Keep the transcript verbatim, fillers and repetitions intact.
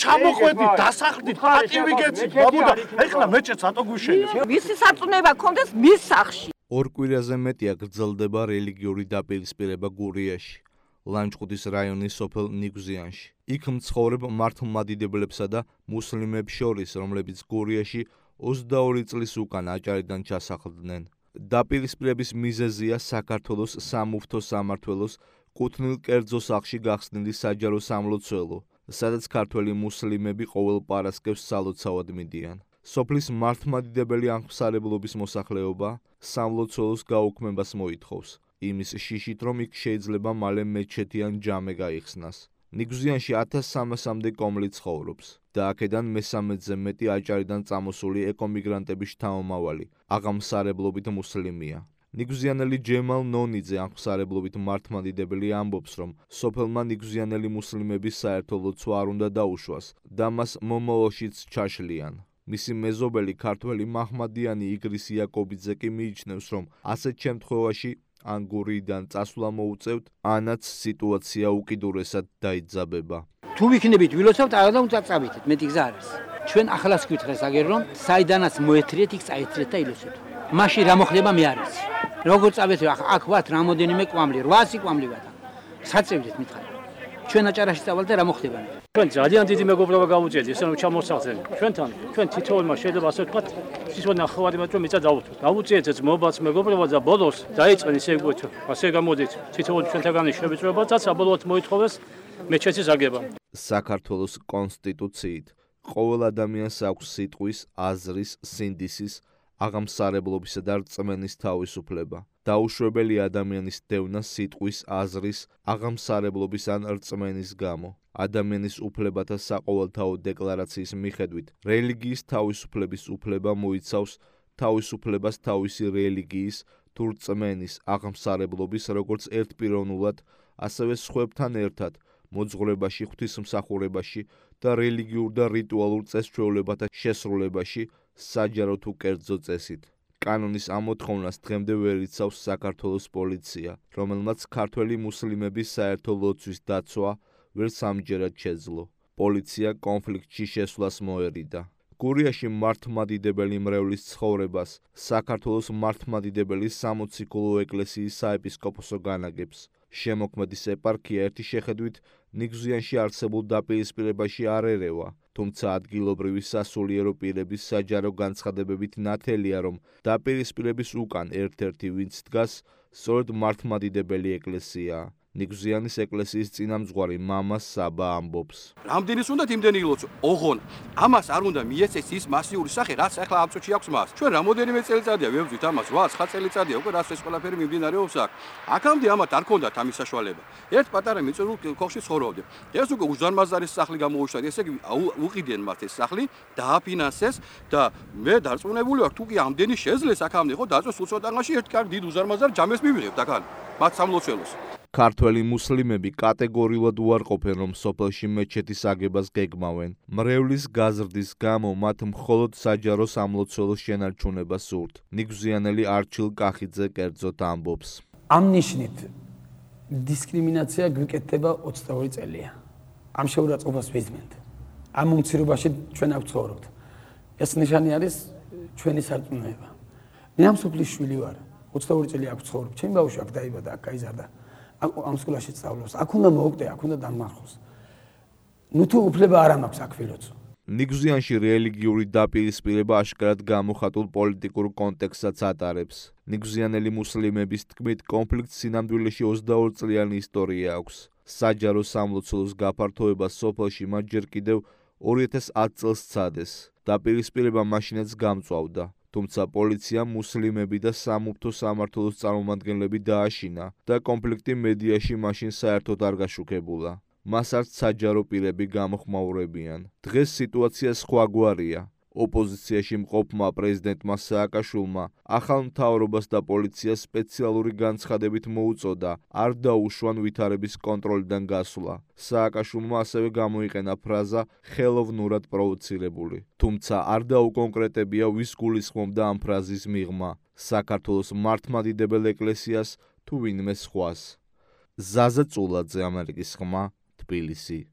ჩამოხვედით, დასახლდით, პატივი გეცით, ბაბუდა, ეხლა მეჭეც ატო გუშენებ. მისი საწუნეება კონდეს მის სახლში. ორ კვირაზე მეტია გრძელდება რელიგიური დაპირისპირება გურიაში, ლანჩხუთის რაიონის სოფელ ნიგზიანში. იქ მცხოვრებ მართლმადიდებლებსა და მუსლიმებს შორის, რომლებიც გურიაში ოცდაორი წლის უკან აჭარიდან ჩასახლდნენ. დაპირისპირების მიზეზია საქართველოს სამუფთო სამმართველოს კუთვნილ კერძო სახლში გახსნილი საჯარო სამლოცველო, სადაც ქართველი მუსლიმები ყოველ პარასკევს სალოცავად მიდიან. სოფლის მართლმადიდებელი აღმსარებლობის მოსახლეობა სამლოცველოს გაუქმებას მოითხოვს, იმის შიშით, რომ იქ შეიძლება მალე მეჩეთი ან ჯამე გაიხსნას. ნიგზიანში ათას სამასამდე კომლი ცხოვრობს და აქედან მესამედზე მეტი აჭარიდან წამოსული ეკომიგრანტების შთამომავალი, აღამსარებლობით მუსლიმია. ნიგზიანელი ჯემალ ნონიძე აღმსარებლობით მართლმადიდებელი ამბობს, რომ სოფელმა ნიგზიანელი მუსლიმების საერთო ლოცვა არ უნდა დაუშვას და მას მომავალშიც ჩაშლიან. მისი მეზობელი ქართველი მაჰმადიანი იგრის იაკობიძე კი მიიჩნევს, რომ ასეთ შემთხვევაში ან გურიდან წასვლა მოუწევთ, ანაც სიტუაცია უკიდურესად დაიძაბება. თუ ვიქნებით ვილოცავთ, აღარ უნდა წავიდეთ, მეტი გზა არის. ჩვენ ახალას გვითხრეს აგერ რომ საიდანაც მოეთრიეთ, იქ წაეთრიეთ და ილოცეთ. მაშინ რა მოხდება მე არ ვიცი. როგორ წავედით აქ ვართ რამოდენიმე კვამლი, რვასი კვამლი ვართ. საწევდით მითხარ. ჩვენ აჭარაში წავალ და რა მოხდება? ჩვენ ძალიან დიდი მეგობრობა გავუწიეთ, ისე რომ ჩამოსახდეთ. ჩვენთან, ჩვენ თითოეულმა შეიძლება ასე ვთქვათ, სიცოცხლე ნახევარი მეტრო მიწა დავუთოთ. გავუწიეთ ეს მობაც მეგობრობა და ბოლოს დაიწყენ ისე ვთქვათ, ასე გამოდით. თითოეული ჩვენთაგანი შევიწრებათ და საბოლოოდ მოითხოვეს მეჩეთის აგება. საქართველოს კონსტიტუციით ყოველ ადამიანს აქვს სიტყვის, აზრის, სინდისის, აღამსარებლობისა და რწმენის თავისუფლება. დაუშვებელი ადამიანის დევნა სიტყვის, აზრის, აღამსარებლობის ან რწმენის გამო. ადამიანის უფლებათა საყოველთაო დეკლარაციის მიხედვით, რელიგიის თავისუფლების უფლება მოიცავს თავისუფლებას თავისი რელიგიის თუ რწმენის, აღამსარებლობის როგორც ერთპიროვნულად, ასევე სხვებთან ერთად მოძღვრებაში, ღვთისმსახურებაში და რელიგიურ და რიტუალურ წესჩვეულებათა შესრულებაში, საჯარო თუ კერძო წესით. კანონის ამოთხოვნას დღემდე ვერ იცავს საქართველოს პოლიცია, რომელმაც ქართველი მუსლიმების საერთო ლოცვის დაცვა ვერც ამჯერად შეძლო. პოლიცია კონფლიქტში შესვლას მოერიდა. გურიაში მართლმადიდებელი მრევლის ცხოვრებას საქართველოს მართლმადიდებელი სამოციქულო ეკლესიის საეპისკოპოსო განაგებს. შემოქმედის ეპარქია ერთი შეხედვით ნიგზიანში არსებულ დაპირისპირებაში არ ერევა, თუმცა ადგილობრივი სასულიერო პირების საჯარო განცხადებებით ნათელია, რომ დაპირისპირების უკან ერთ-ერთი ვინც დგას, სწორედ მართლმადიდებელი ეკლესიაა. ნიგზიანის ეკლესიის წინამძღვარი მამა საბა ამბობს. რამდენის უნდა იმდენი ილოცო? ოღონ ამას არ უნდა მიეცეს ის მასიური სახე, რაც ახლა ამ წუთში აქვს მას. ჩვენ რამოდენიმე წელიწადია ვებრძვით ამას, რვა ცხრა წელიწადია უკვე რაც ეს ყველაფერი მიმდინარეობს აქ. აქამდე ამათ არ ქონდათ ამის საშუალება. ერთ პატარა მიწურულ ქოხში ცხოვრობდი. ეს უკვე უზარმაზარის სახლი გამოუშვა, ესე იგი უყიდენ მათ ეს სახლი, დააფინანსეს და მე დარწმუნებული ვარ, თუ კი ამდენი შეძლეს აქამდე, ხო დაწვეს უცოტაღაში ერთ კარგ დიდ უზარმაზარ ჯამეს მივიღებთ აქ მათ სამლოცველოს. ქართველი მუსლიმები კატეგორიულად უარყოფენ, რომ სოფელში მეჩეთის აგებას გეგმავენ. მრევლის გაზრდის გამო მათ მხოლოდ საჯარო სამლოცველოს შენარჩუნება სურთ. ნიგზიანელი არჩილ კახიძე კერძოდ ამბობს. ამ ნიშნით დისკრიმინაცია გვიკეთდება ოცდაორი წელია. ამ შეურაცხყოფას ვიზმენთ. ამ უმცირობაში ჩვენ აქ ვცხოვრობთ. ეს ნიშანი არის ჩვენი სარწმუნოება. მე ამ სოფლის შვილი ვარ. ოცდაორი წელი აქ ვცხოვრობ. ჩემი ბავშვი აქ დაიბადა, აქ გაიზარდა. ამ სკოლაში სწავლობს. აქ უნდა მოუკვდე, აქ უნდა დამარხოს. ნუ თუ უფლება არ მაქვს აქ ვილოცო. ნიგზიანში რელიგიური დაპირისპირება აშკარად გამოხატულ პოლიტიკურ კონტექსტსაც ატარებს. ნიგზიანელი მუსლიმების თქმით, კონფლიქტს სინამდვილეში ოცდაორი წლიანი ისტორია აქვს. საჯარო სამლოცველოს გაფართოება სოფელში მათ ჯერ კიდევ ორი ათას ათ წელს სცადეს. დაპირისპირება მაშინაც გამწვავდა. თუმცა პოლიციამ მუსლიმები და სამუფთო სამმართველოს წარმომადგენლები დააშინა და კონფლიქტი მედიაში მაშინ საერთოდ არ გაშუქებულა. მას არც საჯარო პირები გამოხმაურებიან. დღეს სიტუაცია სხვაგვარია. ოპოზიციაში მყოფმა პრეზიდენტმა სააკაშვილმა ახალ მთავრობას და პოლიციას სპეციალური განცხადებით მოუწოდა არ დაუშვან ვითარების კონტროლიდან გასვლა. სააკაშვილმა ასევე გამოიყენა ფრაზა ხელოვნურად პროვოცირებული. თუმცა არ დაუკონკრეტებია ვის გულისხმობდა ამ ფრაზის მიღმა, საქართველოს მართლმადიდებელ ეკლესიას თუ ვინმე სხვას. ზაზა წულაძე, ამერიკის ხმა, თბილისი.